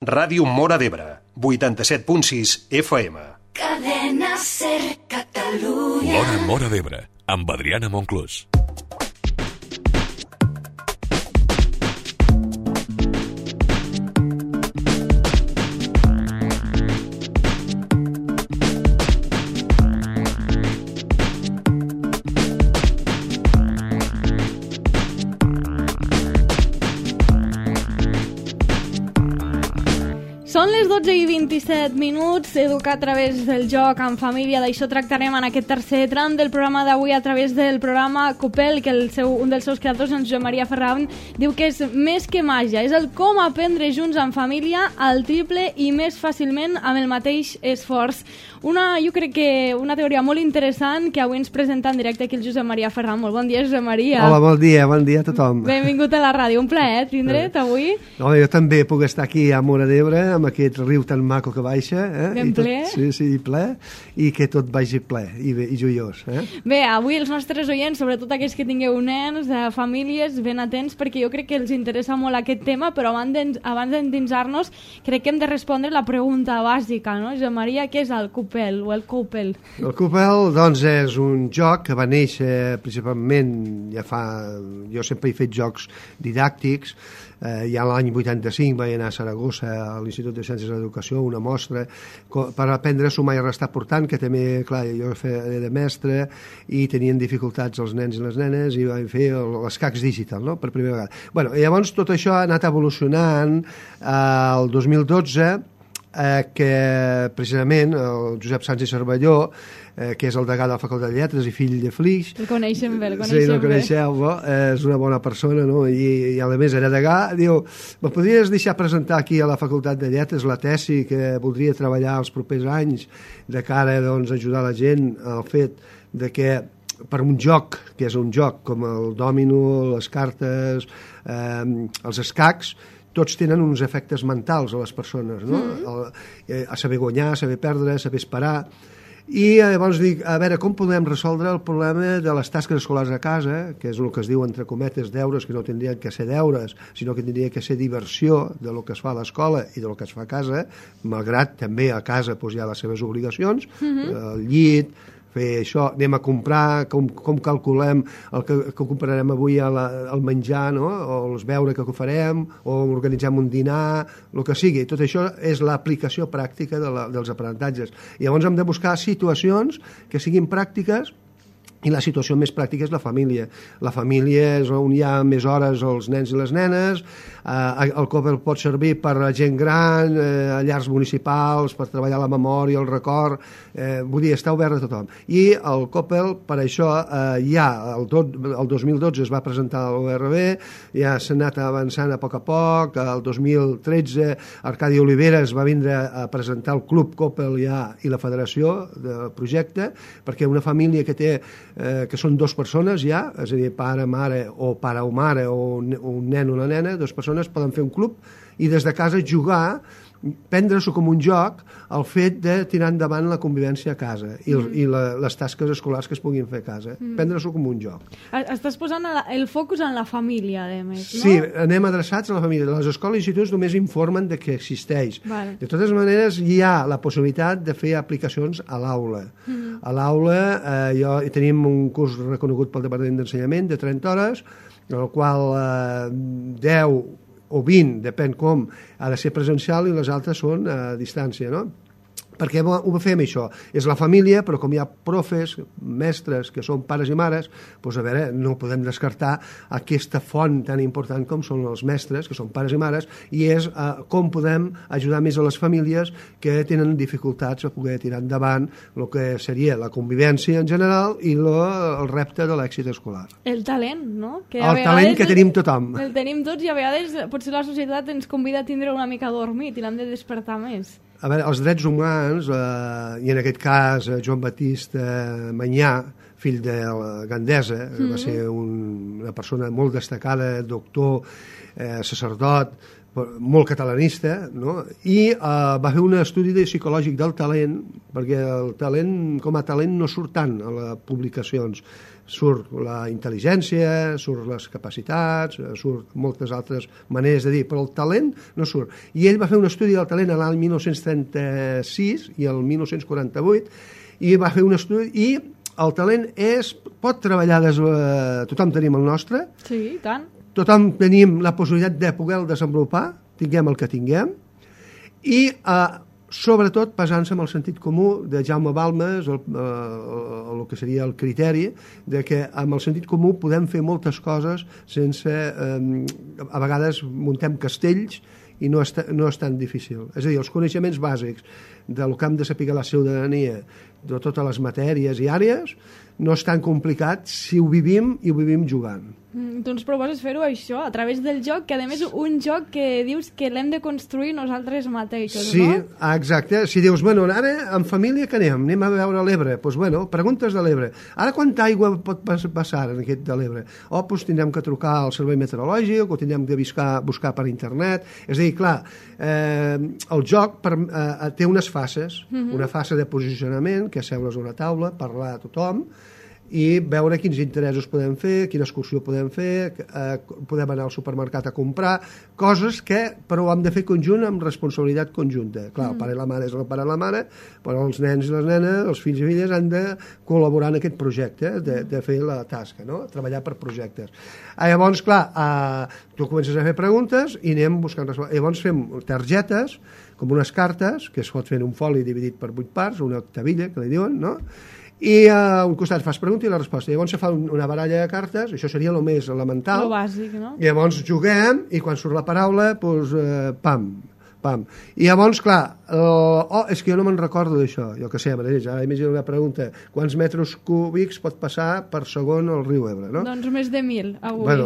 Ràdio Móra d'Ebre, 87.6 FM. Cadena Ser Catalunya. Móra d'Ebre, amb Adriana Monclús. Són les 12:27, educar a través del joc en família. D'això tractarem en aquest tercer tram del programa d'avui a través del programa Copel, que un dels seus creadors, en Josep Maria Ferran, diu que és més que màgia, és el com aprendre junts en família al triple i més fàcilment amb el mateix esforç. Jo crec que una teoria molt interessant que avui ens presenta en directe aquí el Josep Maria Ferran. Molt bon dia, Josep Maria. Hola, bon dia a tothom. Benvingut a la ràdio, un plaer tindre't avui. No, jo també puc estar aquí a Móra d'Ebre amb aquest riu tan maco que baixa. Ben ple. Sí, ple, i que tot vagi ple i joiós. Bé, avui els nostres oients, sobretot aquells que tingueu nens, famílies, ben atents, perquè jo crec que els interessa molt aquest tema, però abans d'endinsar-nos crec que hem de respondre la pregunta bàsica, no? Josep Maria, què és el Copel o el Copel? El Copel, doncs, és un joc que va néixer principalment, jo sempre he fet jocs didàctics. Ja l'any 85 vaig anar a Saragossa, a l'Institut de Ciències de l'Educació, una mostra per aprendre a sumar i restar portant, que també, clar, jo feia de mestre i tenien dificultats els nens i les nenes i vaig fer l'escacs digital, no?, per primera vegada. Bueno, llavors tot això ha anat evolucionant. El 2012, que precisament el Josep Sánchez Cervelló, que és el degà de la Facultat de Lletres i fill de Flix. El coneixem bé, Sí, el coneixeu, és una bona persona, no? I a més era degà. Diu, me podries deixar presentar aquí a la Facultat de Lletres la tesi que voldria treballar els propers anys de cara, doncs, a ajudar la gent al fet de que per un joc, que és un joc com el dòmino, les cartes, els escacs, tots tenen uns efectes mentals a les persones, no? A saber guanyar, a saber perdre, a saber esperar. I llavors dic, a veure, com podem resoldre el problema de les tasques escolars a casa, que és el que es diu, entre cometes, deures, que no tindrien que ser deures, sinó que tindria que ser diversió de lo que es fa a l'escola i de lo que es fa a casa, malgrat també a casa hi ha les seves obligacions, el llit, fer això, anem a comprar, com calculem el que comprarem avui al menjar, no? O els beure que farem, o organitzem un dinar, el que sigui. Tot això és l'aplicació pràctica dels aprenentatges. I llavors hem de buscar situacions que siguin pràctiques, i la situació més pràctica és la família. La família és on hi ha més hores els nens i les nenes, el Copel pot servir per a gent gran, a llars municipals, per treballar la memòria, el record, vull dir, està obert a tothom. I el Copel, per això, ja el 2012 es va presentar a l'ORB, ja s'ha anat avançant a poc, el 2013 Arcadi Oliveres va vindre a presentar el Club Copel ja i la federació del projecte, perquè una família que té que són dues persones ja, és a dir, pare, mare o pare o mare o un nen o una nena, dues persones poden fer un club i des de casa jugar, prendre-s'ho com un joc el fet de tirar endavant la convivència a casa i les tasques escolars que es puguin fer a casa, prendre-s'ho com un joc. Estàs posant el focus en la família, a més, no? Sí, anem adreçats a la família. Les escoles i instituts només informen de que existeix. Vale. De totes maneres, hi ha la possibilitat de fer aplicacions a l'aula. A l'aula tenim un curs reconegut pel Departament d'Ensenyament de 30 hores, en el qual 10 o 20, depèn com, ha de ser presencial i les altres són a distància, no? Perquè ho fem això, és la família, però com hi ha profes, mestres, que són pares i mares, doncs a veure, no podem descartar aquesta font tan important com són els mestres, que són pares i mares, i és com podem ajudar més a les famílies que tenen dificultats a poder tirar endavant el que seria la convivència en general i el repte de l'èxit escolar. El talent, no? El talent que tenim tothom. El tenim tots i a vegades potser la societat ens convida a tindre una mica dormit i l'hem de despertar més. A veure, els drets humans, i en aquest cas Joan Batista Manyà, fill de la Gandesa, va ser una persona molt destacada, doctor, sacerdot, molt catalanista, no? I va fer un estudi psicològic del talent, perquè el talent, com a talent, no surt tant a les publicacions. Surt la intel·ligència, surt les capacitats, surt moltes altres maneres de dir, però el talent no surt. I ell va fer un estudi del talent l'any 1936 i el 1948, i va fer un estudi, i el talent pot treballar tothom tenim el nostre. Sí, i tant. Tothom tenim la possibilitat de poder-lo desenvolupar, tinguem el que tinguem, i sobretot basant-se en el sentit comú de Jaume Balmes, el que seria el criteri de que amb el sentit comú podem fer moltes coses sense... a vegades muntem castells i no és tan difícil. És a dir, els coneixements bàsics del que hem de saber la ciutadania, de totes les matèries i àrees, no és tan complicat si ho vivim i ho vivim jugant. Tu ens proposes fer-ho això, a través del joc, que a més un joc que dius que l'hem de construir nosaltres mateixos, sí, no? Sí, exacte. Si dius, bueno, ara en família què anem? Anem a veure l'Ebre. Doncs, bueno, preguntes de l'Ebre. Ara quanta aigua pot passar en aquest de l'Ebre? Doncs tindrem que trucar al servei meteorològic o tindrem de buscar per internet. És a dir, clar, el joc té unes fases, una fase de posicionament, que és seure's a una taula, parlar a tothom, i veure quins interessos podem fer, quina excursió podem fer, podem anar al supermercat a comprar, coses que però ho hem de fer conjunt amb responsabilitat conjunta. Clar, el pare i la mare és el pare i la mare, però els nens i les nenes, els fills i filles han de col·laborar en aquest projecte, de fer la tasca, no? Treballar per projectes. Llavors, clar, tu comences a fer preguntes i anem buscant respostes. Llavors fem targetes, com unes cartes, que es pot fer en un foli dividit per 8 parts, una octavilla, que li diuen, no? I a un costat fas pregunta i la resposta. Llavors se fa una baralla de cartes, això seria el més elemental. Lo bàsic, no? I llavors juguem i quan surt la paraula, doncs, pam. I llavors, clar, és que jo no me'n recordo d'això, jo que sé, ara imagino una pregunta, quants metres cúbics pot passar per segon el riu Ebre, no? Doncs més de 1.000, avui. Bueno,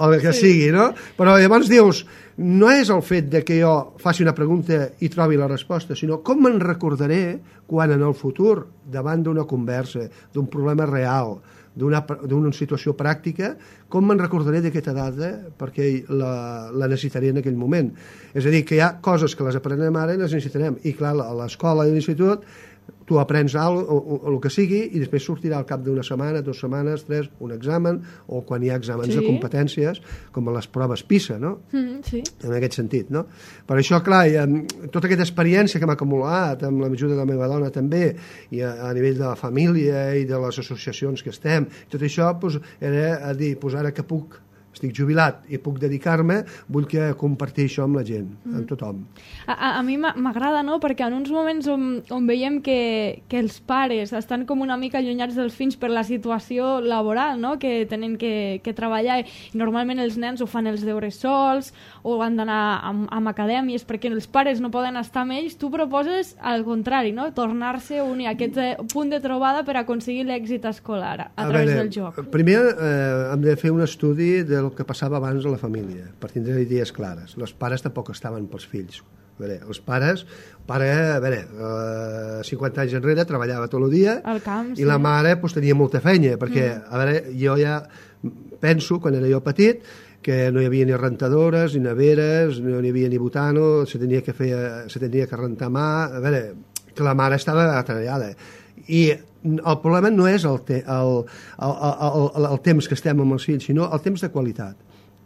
el que sigui, no? Però llavors dius, no és el fet de que jo faci una pregunta i trobi la resposta, sinó com me'n recordaré quan en el futur, davant d'una conversa, d'un problema real, d'una situació pràctica, com me'n recordaré d'aquesta data perquè la necessitaré en aquell moment. És a dir, que hi ha coses que les aprenem ara i les necessitarem. I clar, a l'escola i a l'institut tu aprens el que sigui i després sortirà al cap d'una setmana, 2 setmanes, 3, un examen, o quan hi ha exàmens de competències, com a les proves PISA, no? Sí. En aquest sentit, no? Per això, clar, tota aquesta experiència que m'ha acumulat, amb l'ajuda de la meva dona també, i a nivell de la família i de les associacions que estem, tot això doncs, era a dir, doncs ara que estic jubilat i puc dedicar-me, vull que compartir això amb la gent, amb tothom. A mi m'agrada, no?, perquè en uns moments on veiem que els pares estan com una mica allunyats dels fills per la situació laboral, no?, que tenen que treballar, i normalment els nens ho fan els deures sols o han d'anar a acadèmies perquè els pares no poden estar amb ells. Tu proposes al contrari, no?, tornar-se a unir aquest punt de trobada per aconseguir l'èxit escolar a través del joc. Primer hem de fer un estudi del que passava abans a la família, per tindre idees clares. Els pares tampoc estaven pels fills. Els pares, 50 anys enrere treballava tot el dia al camp, i la mare tenia molta feina, perquè jo ja penso, quan era jo petit, que no hi havia ni rentadores, ni neveres, no hi havia ni butano, se tenia que rentar mà, que la mare estava atreallada. I el problema no és el temps que estem amb els fills, sinó el temps de qualitat.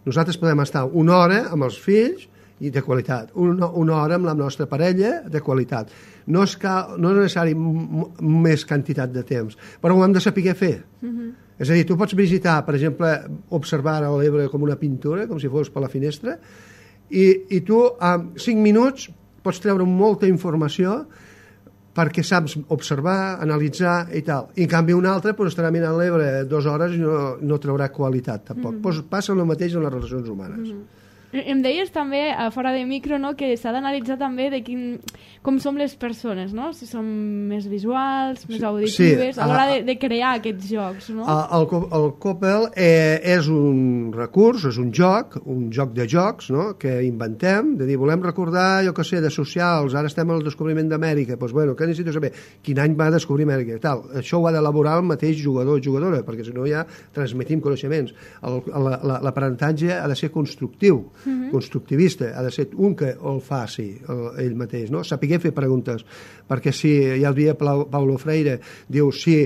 Nosaltres podem estar una hora amb els fills i de qualitat, una hora amb la nostra parella de qualitat. No és necessari més quantitat de temps, però ho hem de saber fer. És a dir, tu pots visitar, per exemple, observar l'Ebre com una pintura, com si fos per la finestra, i tu en 5 minuts pots treure molta informació perquè saps observar, analitzar i tal. I en canvi un altre estarà mirant l'Ebre 2 hores i no traurà qualitat tampoc. Passa el mateix en les relacions humanes. Em deies també, fora de micro, no, que s'ha d'analitzar també com som les persones, no? Si som més visuals, més auditives, a l'hora de crear aquests jocs, no? El Coppel és un recurs, és un joc de jocs, no?, que inventem, de dir, volem recordar, jo què sé, de socials, ara estem al descobriment d'Amèrica, doncs, bueno, què necessito saber? Quin any va descobrir Amèrica? Tal. Això ho ha d'elaborar el mateix jugador o jugadora, perquè si no ja transmetim coneixements. L'aprenentatge ha de ser constructiu. constructivista, ha de ser un que el faci ell mateix, no? Sapiguer fer preguntes, perquè si ja el dia Paulo Freire diu, si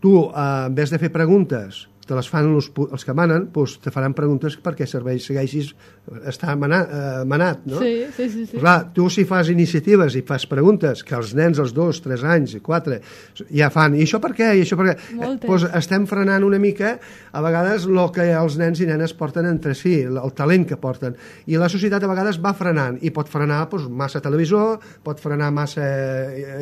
tu en vez de fer preguntes te les fan els que manen, doncs te faran preguntes perquè segueixis estar manat, no? Sí. Clar, tu si fas iniciatives i fas preguntes que els nens als 2, 3 anys i 4 ja fan, i això per què? I això per què? Doncs estem frenant una mica a vegades el que els nens i nenes porten entre si, el talent que porten, i la societat a vegades va frenant, i pot frenar massa televisor, pot frenar massa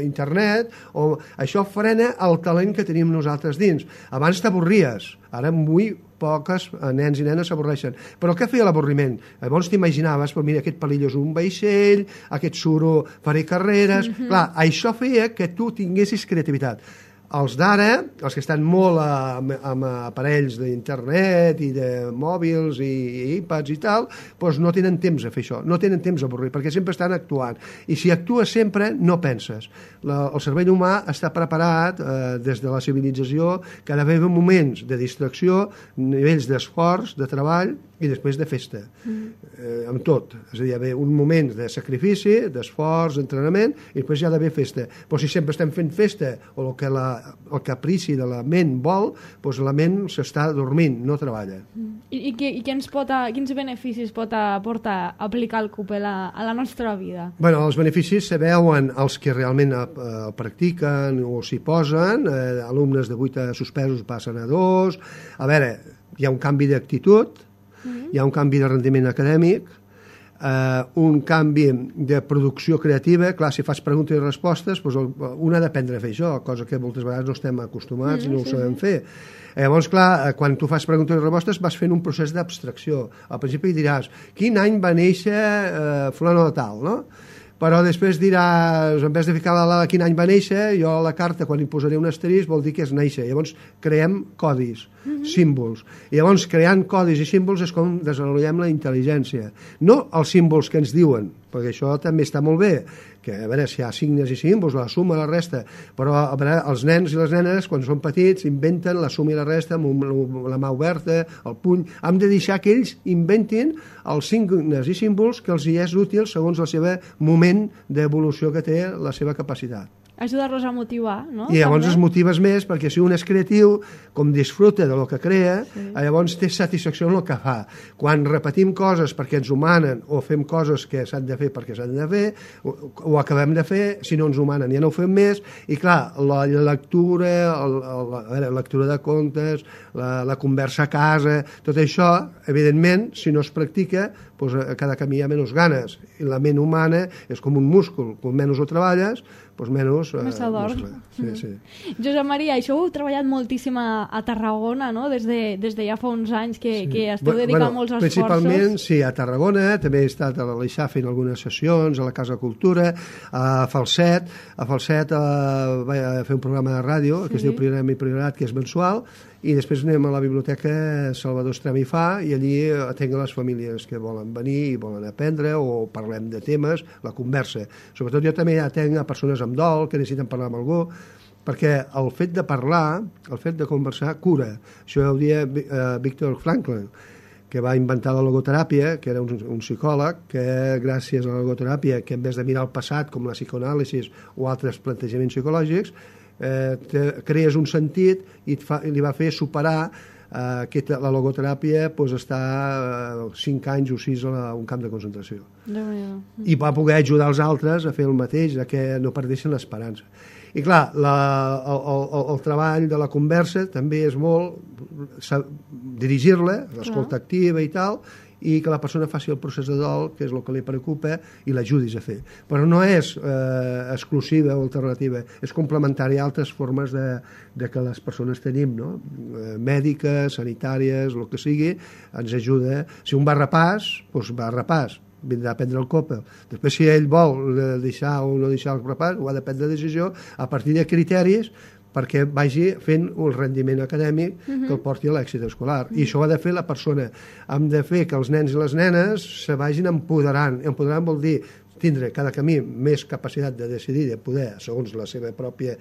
internet, o això frena el talent que tenim nosaltres dins. Abans t'avorries, ara avui poques nens i nenes s'avorreixen. Però què feia l'avorriment? Llavors t'imaginaves, però mira, aquest palillo és un vaixell, aquest suro faré carreres... Clar, això feia que tu tinguessis creativitat. Els d'ara, els que estan molt amb aparells d'internet i de mòbils i iPads i tal, doncs no tenen temps a fer això, no tenen temps a avorrir, perquè sempre estan actuant. I si actues sempre, no penses. El cervell humà està preparat des de la civilització que ha d'haver moments de distracció, nivells d'esforç, de treball i després de festa, amb tot. És a dir, hi ha d'haver un moment de sacrifici, d'esforç, d'entrenament, i després hi ha d'haver festa. Però si sempre estem fent festa, o el caprici de la ment vol, doncs la ment s'està dormint, no treballa. I quins beneficis pot aportar aplicar el CUPEL a la nostra vida? Bueno, els beneficis se veuen els que realment el practiquen o s'hi posen, alumnes de 8 suspesos passen a 2, a veure, hi ha un canvi d'actitud, hi ha un canvi de rendiment acadèmic, un canvi de producció creativa. Clar, si fas preguntes i respostes, doncs un ha d'aprendre a fer això, cosa que moltes vegades no estem acostumats i no ho sabem fer. Llavors, clar, quan tu fas preguntes i respostes vas fent un procés d'abstracció. Al principi diràs, quin any va néixer fulano de tal, no? Però després diràs, en vez de ficar quin any va néixer, jo a la carta, quan hi posaré un asterisc, vol dir que és néixer. Llavors creem codis, símbols. I llavors, creant codis i símbols és com desenvolupem la intel·ligència. No els símbols que ens diuen, perquè això també està molt bé, que a veure si hi ha signes i símbols, la suma i la resta, però a veure, els nens i les nenes, quan són petits, inventen la suma i la resta amb la mà oberta, el puny. Hem de deixar que ells inventin els signes i símbols que els hi és útil segons el seu moment d'evolució que té la seva capacitat. Ajudar-los a motivar, no? I llavors es motives més, perquè si un és creatiu, com disfruta de lo que crea, llavors té satisfacció en el que fa. Quan repetim coses perquè ens ho manen, o fem coses que s'han de fer perquè s'han de fer, ho acabem de fer, si no ens ho manen ja no ho fem més, i clar, la lectura, la lectura de contes, la conversa a casa, tot això, evidentment, si no es practica, doncs cada camí hi ha menys ganes. I la ment humana és com un múscul, com menys ho treballes, doncs menys s'adorm. Sí. Josep Maria, això ho heu treballat moltíssim a Tarragona, no? Des de ja fa uns anys que esteu dedicant molts esforços. Principalment, sí, a Tarragona, també he estat a l'Aleixar fent algunes sessions, a la Casa Cultura, a Falset. A Falset vaig fer un programa de ràdio que es diu Priorat i Priorat, que és mensual, i després anem a la biblioteca Salvador Estrem i Fa, i allí atenc a les famílies que volen venir i volen aprendre, o parlem de temes, la conversa. Sobretot jo també atenc a persones amb dol que necessiten parlar amb algú, perquè el fet de parlar, el fet de conversar, cura. Això ho deia Viktor Frankl, que va inventar la logoteràpia, que era un psicòleg, que gràcies a la logoteràpia, que en vez de mirar el passat, com la psicoanàlisi o altres plantejaments psicològics, crees un sentit i li va fer superar que la logoteràpia està 5 anys o 6 a un camp de concentració. I va poder ajudar els altres a fer el mateix, a que no perdessin l'esperança. I clar, el treball de la conversa també és molt dirigir-la, l'escolta activa i tal, i que la persona faci el procés de dol, que és el que li preocupa, i l'ajudis a fer. Però no és exclusiva o alternativa, és complementària a altres formes de que les persones tenim, no? Mèdiques, sanitàries, el que sigui, ens ajuda. Si un va a repàs, doncs va a repàs, vindrà a prendre el COPEL. Després, si ell vol deixar o no deixar el repàs, ho ha de prendre decisió a partir de criteris perquè vagi fent un rendiment acadèmic que el porti a l'èxit escolar. I això ho ha de fer la persona. Hem de fer que els nens i les nenes se vagin empoderant. Empoderant vol dir tindre cada camí més capacitat de decidir, de poder, segons la seva pròpia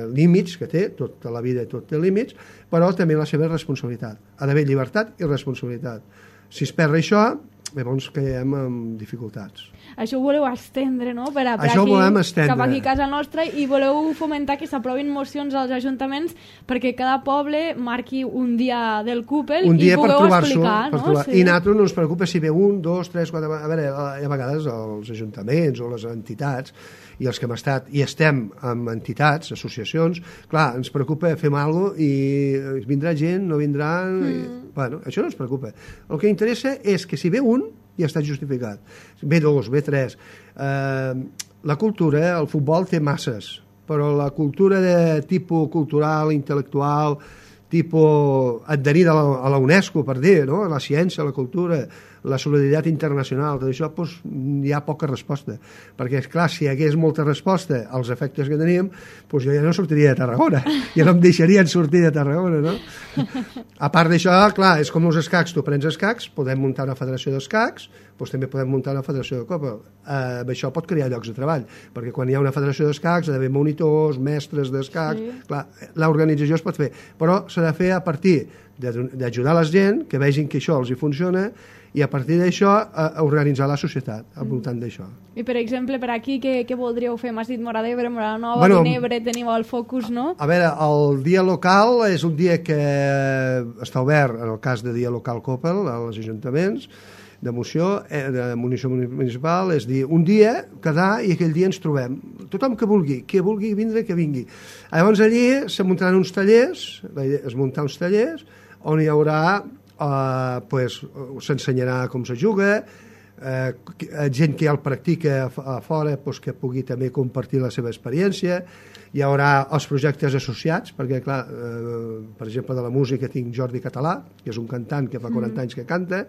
límits que té, tota la vida tot té límits, però també la seva responsabilitat. Ha d'haver llibertat i responsabilitat. Si es perd això, llavors caiem en dificultats. Això ho voleu estendre, no? Per Això aquí, ho volem estendre. cap aquí a casa nostra, i voleu fomentar que s'aprovin mocions als ajuntaments perquè cada poble marqui un dia del Coupel i pugueu explicar, no? Sí. I nosaltres no ens preocupa si ve 1, 2, 3, 4... A veure, a vegades els ajuntaments o les entitats i els que hem estat i estem amb entitats, associacions, clar, ens preocupa, fem alguna cosa i vindrà gent, no vindrà... Bueno, això no ens preocupa. El que interessa és que si ve un, ja està justificat. Ve 2, ve 3. La cultura, el futbol té masses, però la cultura de tipus cultural, intel·lectual, tipus adherida a la UNESCO, per dir, no? La ciència, la cultura, la solidaritat internacional, tot això, doncs, hi ha poca resposta. Perquè, esclar, si hi hagués molta resposta als efectes que teníem, doncs jo ja no sortiria de Tarragona. Ja no em deixarien sortir de Tarragona, no? A part d'això, clar, és com els escacs. Tu prens escacs, podem muntar una federació d'escacs, doncs també podem muntar una federació de copa. Això pot crear llocs de treball, perquè quan hi ha una federació d'escacs ha d'haver monitors, mestres d'escacs... Sí. Clar, l'organització es pot fer, però s'ha de fer a partir d'ajudar la gent, que vegin que això els hi funciona, i a partir d'això organitzar la societat al voltant d'això. I per exemple, per aquí, què voldríeu fer? M'has dit Móra d'Ebre, Móra la Nova, Vinebre, teniu el Focus, no? A veure, el dia local és un dia que està obert, en el cas de dia local Coppel, als ajuntaments, de moció, de munició municipal, és dir, un dia, quedar, i aquell dia ens trobem. Tothom que vulgui vindre, que vingui. Llavors allí se muntaran uns tallers, es muntar uns tallers, on hi haurà s'ensenyarà com se juga, gent que ja el practica a fora que pugui també compartir la seva experiència. Hi haurà els projectes associats, perquè clar, per exemple de la música tinc Jordi Català, que és un cantant que fa 40 anys que canta,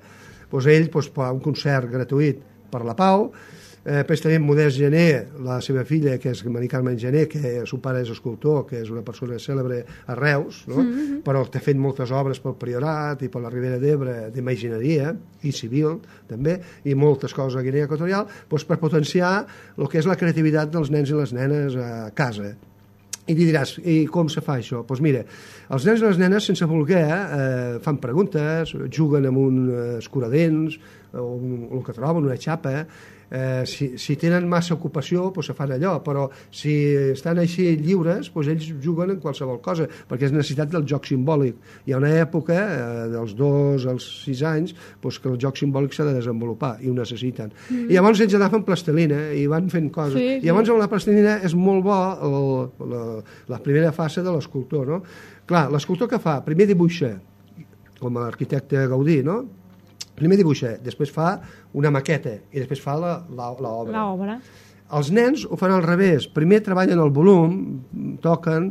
doncs ell fa un concert gratuït per la Pau. Després tenim Modest Gené, la seva filla, que és Mari Carmen Gené, que el seu pare és escultor, que és una persona cèlebre a Reus, no? Però que ha fet moltes obres pel Priorat i per la Ribera d'Ebre d'imagineria i civil també, i moltes coses a Guinea Equatorial, doncs per potenciar el que és la creativitat dels nens i les nenes a casa. I diràs, i com se fa això? Doncs mira, els nens i les nenes, sense voler, fan preguntes, juguen amb un escuradents, o el que troben, una xapa. Si tenen massa ocupació, doncs se fan allò, però si estan així lliures, doncs ells juguen en qualsevol cosa, perquè és necessitat del joc simbòlic. Hi ha una època, dels 2 als 6 anys, doncs que el joc simbòlic s'ha de desenvolupar, i ho necessiten. I llavors ells agafen plastilina i van fent coses. I llavors amb la plastilina és molt bo la primera fase de l'escultor, no? Clar, l'escultor que fa? Primer dibuixa, com l'arquitecte Gaudí, no? Primer dibuixa, després fa una maqueta i després fa l'obra. Els nens ho fan al revés. Primer treballen el volum, toquen,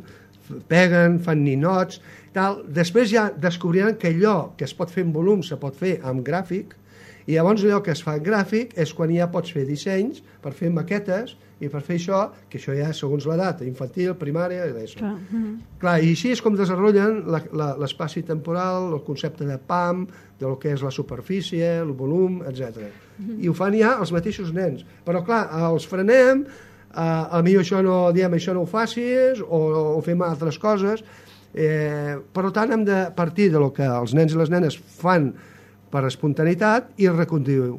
peguen, fan ninots, tal. Després ja descobriran que allò que es pot fer en volum se pot fer amb gràfic, i llavors allò que es fa en gràfic és quan ja pots fer dissenys per fer maquetes i per fer això, que això ja segons l'edat, infantil, primària i d'això. Clar, i així és com desenvolupen l'espai temporal, el concepte de PAM, del que és la superfície, el volum, etc. I ho fan ja els mateixos nens. Però clar, els frenem, potser això no, diem, això no ho facis, o fem altres coses. Per tant, hem de partir del que els nens i les nenes fan per espontaneïtat i reconduir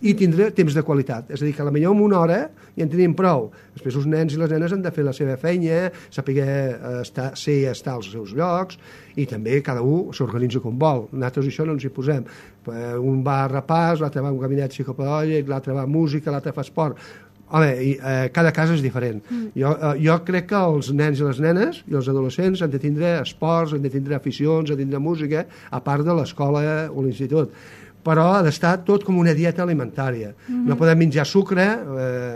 i tindre temps de qualitat. És a dir, que potser en una hora ja en tenim prou. Després els nens i les nenes han de fer la seva feina, saber estar als seus llocs, i també cada un s'organitza com vol. Nosaltres això no ens hi posem. Un va a repàs, l'altre va a un gabinet psicopedagògic, l'altre va a música, l'altre fa esport. Home, cada cas és diferent. Jo crec que els nens i les nenes i els adolescents han de tindre esports, han de tindre aficions, han de tindre música, a part de l'escola o l'institut. Però ha d'estar tot com una dieta alimentària. No podem menjar sucre,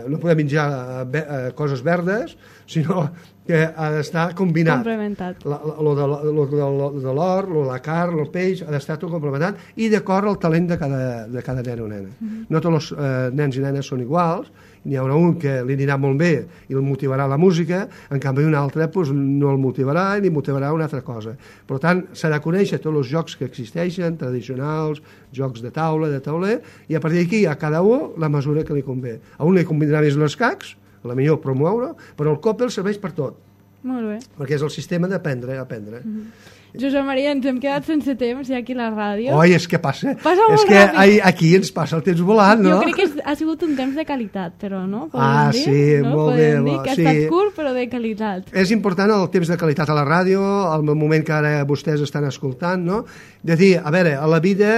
no podem menjar coses verdes, sinó que ha d'estar combinat. Complementat. Lo de l'or, la carn, el peix, ha d'estar tot complementat i d'acord al talent de cada nen o nena. No tots els nens i nenes són iguals, n'hi haurà un que li anirà molt bé i el motivarà la música, en canvi un altre no el motivarà i li motivarà una altra cosa. Per tant, s'ha de conèixer tots els jocs que existeixen, tradicionals, jocs de taula, de tauler, i a partir d'aquí a cada un la mesura que li convé. A un li convindrà més els cacs, a la millor promoure, però el Coppel serveix per tot. Molt bé. Perquè és el sistema d'aprendre a aprendre. Josep Maria, ens hem quedat sense temps ja aquí a la ràdio. Oi, és que passa. Passa molt és que ràpid. aquí ens passa el temps volant, no? Jo crec que ha sigut un temps de qualitat, però no? Sí, molt bé. Podem dir que ha estat curt, però de qualitat. És important el temps de qualitat a la ràdio, el moment que ara vostès estan escoltant, no? De dir, a veure, a la vida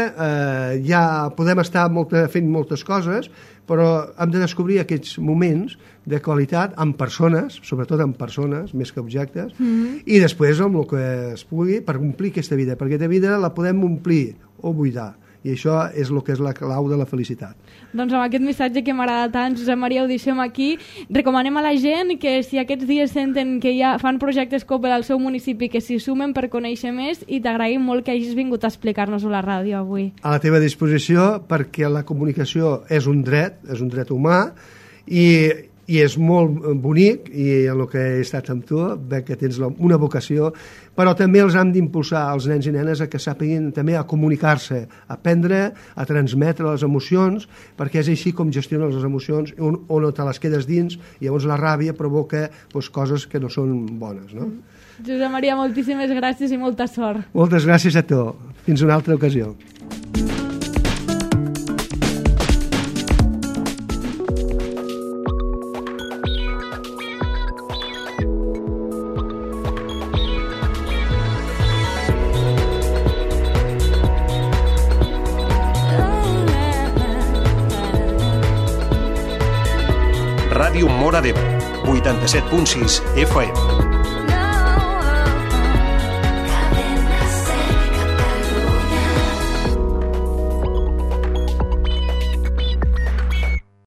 ja podem estar fent moltes coses, però hem de descobrir aquests moments de qualitat amb persones, sobretot amb persones, més que objectes, i després amb el que es pugui per omplir aquesta vida, perquè aquesta vida la podem omplir o buidar, i això és el que és la clau de la felicitat. Doncs amb aquest missatge que m'agrada tant, Josep Maria, ho deixem aquí. Recomanem a la gent que si aquests dies senten que ja fan projectes Coppel al seu municipi, que s'hi sumen per conèixer més, i t'agraïm molt que hagis vingut a explicar-nos-ho a la ràdio avui. A la teva disposició, perquè la comunicació és un dret humà, i és molt bonic, i en el que he estat amb tu veig que tens una vocació, però també els hem d'impulsar als nens i nenes a que sàpiguin també a comunicar-se, a aprendre a transmetre les emocions, perquè és així com gestionen les emocions, on no te les quedes dins, i llavors la ràbia provoca coses que no són bones, no? Josep Maria, moltíssimes gràcies i molta sort. Moltes gràcies a tu. Fins una altra ocasió. Ràdio Móra d'Ebre, 87.6 FM.